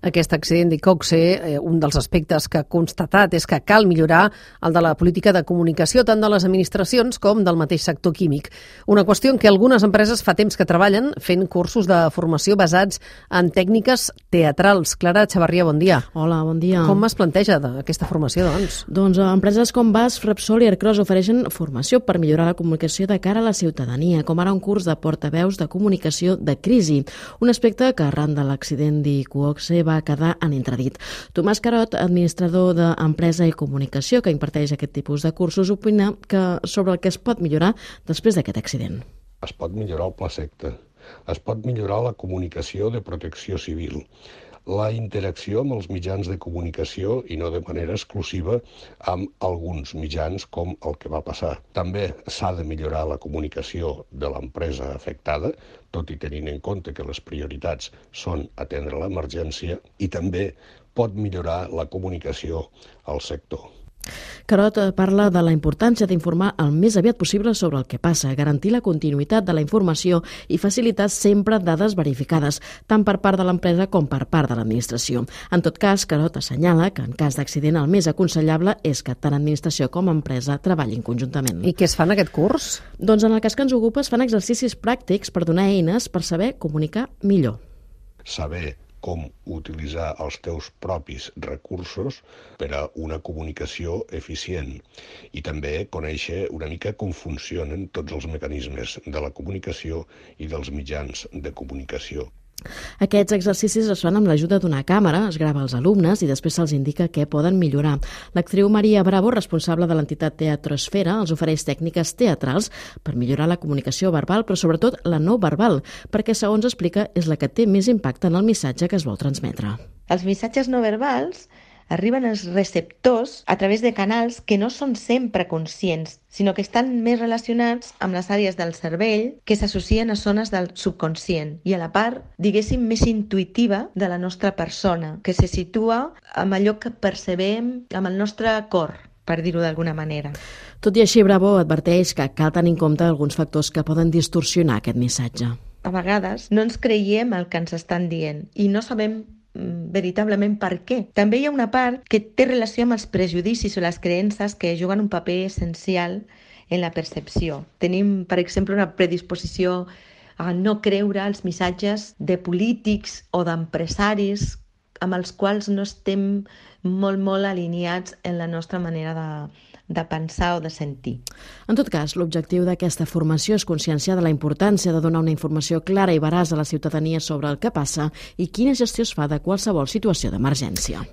Aquest accident d'Iqoxe, un dels aspectes que ha constatat és que cal millorar el de la política de comunicació tant de les administracions com del mateix sector químic. Una qüestió en què algunes empreses fa temps que treballen fent cursos de formació basats en tècniques teatrals. Clara Xavarria, bon dia. Hola, bon dia. Com es planteja aquesta formació, doncs? Doncs empreses com BASF, Repsol i Ercros ofereixen formació per millorar la comunicació de cara a la ciutadania, com ara un curs de portaveus de comunicació de crisi, un aspecte que arran de l'accident d'Iqoxe va quedar en entredit. Tomàs Carot, administrador d'Empresa i Comunicació, que imparteix aquest tipus de cursos, opina que sobre el que es pot millorar després d'aquest accident. Es pot millorar el plaseqte, es pot millorar la comunicació de protecció civil, la interacció amb els mitjans de comunicació i no de manera exclusiva amb alguns mitjans com el que va passar. També s'ha de millorar la comunicació de l'empresa afectada, tot i tenint en compte que les prioritats són atendre l'emergència, i també pot millorar la comunicació al sector. Carot parla de la importància d'informar el més aviat possible sobre el que passa, garantir la continuïtat de la informació i facilitar sempre dades verificades, tant per part de l'empresa com per part de l'administració. En tot cas, Carot assenyala que en cas d'accident el més aconsellable és que tant administració com empresa treballin conjuntament. I què es fa en aquest curs? Doncs en el cas que ens ocupa es fan exercicis pràctics per donar eines per saber comunicar millor. Saber com utilitzar els teus propis recursos per a una comunicació eficient i també conèixer una mica com funcionen tots els mecanismes de la comunicació i dels mitjans de comunicació. Aquests exercicis es fan amb l'ajuda d'una càmera, es grava als alumnes i després se'ls indica què poden millorar. L'actriu Maria Bravo, responsable de l'entitat Teatrosfera, els ofereix tècniques teatrals per millorar la comunicació verbal, però sobretot la no verbal, perquè, segons explica, és la que té més impacte en el missatge que es vol transmetre. Els missatges no verbals arriben als receptors a través de canals que no són sempre conscients, sinó que estan més relacionats amb les àrees del cervell que s'associen a zones del subconscient i a la part, diguéssim, més intuïtiva de la nostra persona, que se situa amb allò que percebem amb el nostre cor, per dir-ho d'alguna manera. Tot i així, Bravo adverteix que cal tenir en compte alguns factors que poden distorsionar aquest missatge. A vegades no ens creiem el que ens estan dient i no sabem veritablement per què. També hi ha una part que té relació amb els prejudicis o les creences que juguen un paper essencial en la percepció. Tenim, per exemple, una predisposició a no creure els missatges de polítics o d'empresaris amb els quals no estem molt alineats en la nostra manera de pensar o de sentir. En tot cas, l'objectiu d'aquesta formació és conscienciar de la importància de donar una informació clara i veraç a la ciutadania sobre el que passa i quina gestió es fa de qualsevol situació d'emergència.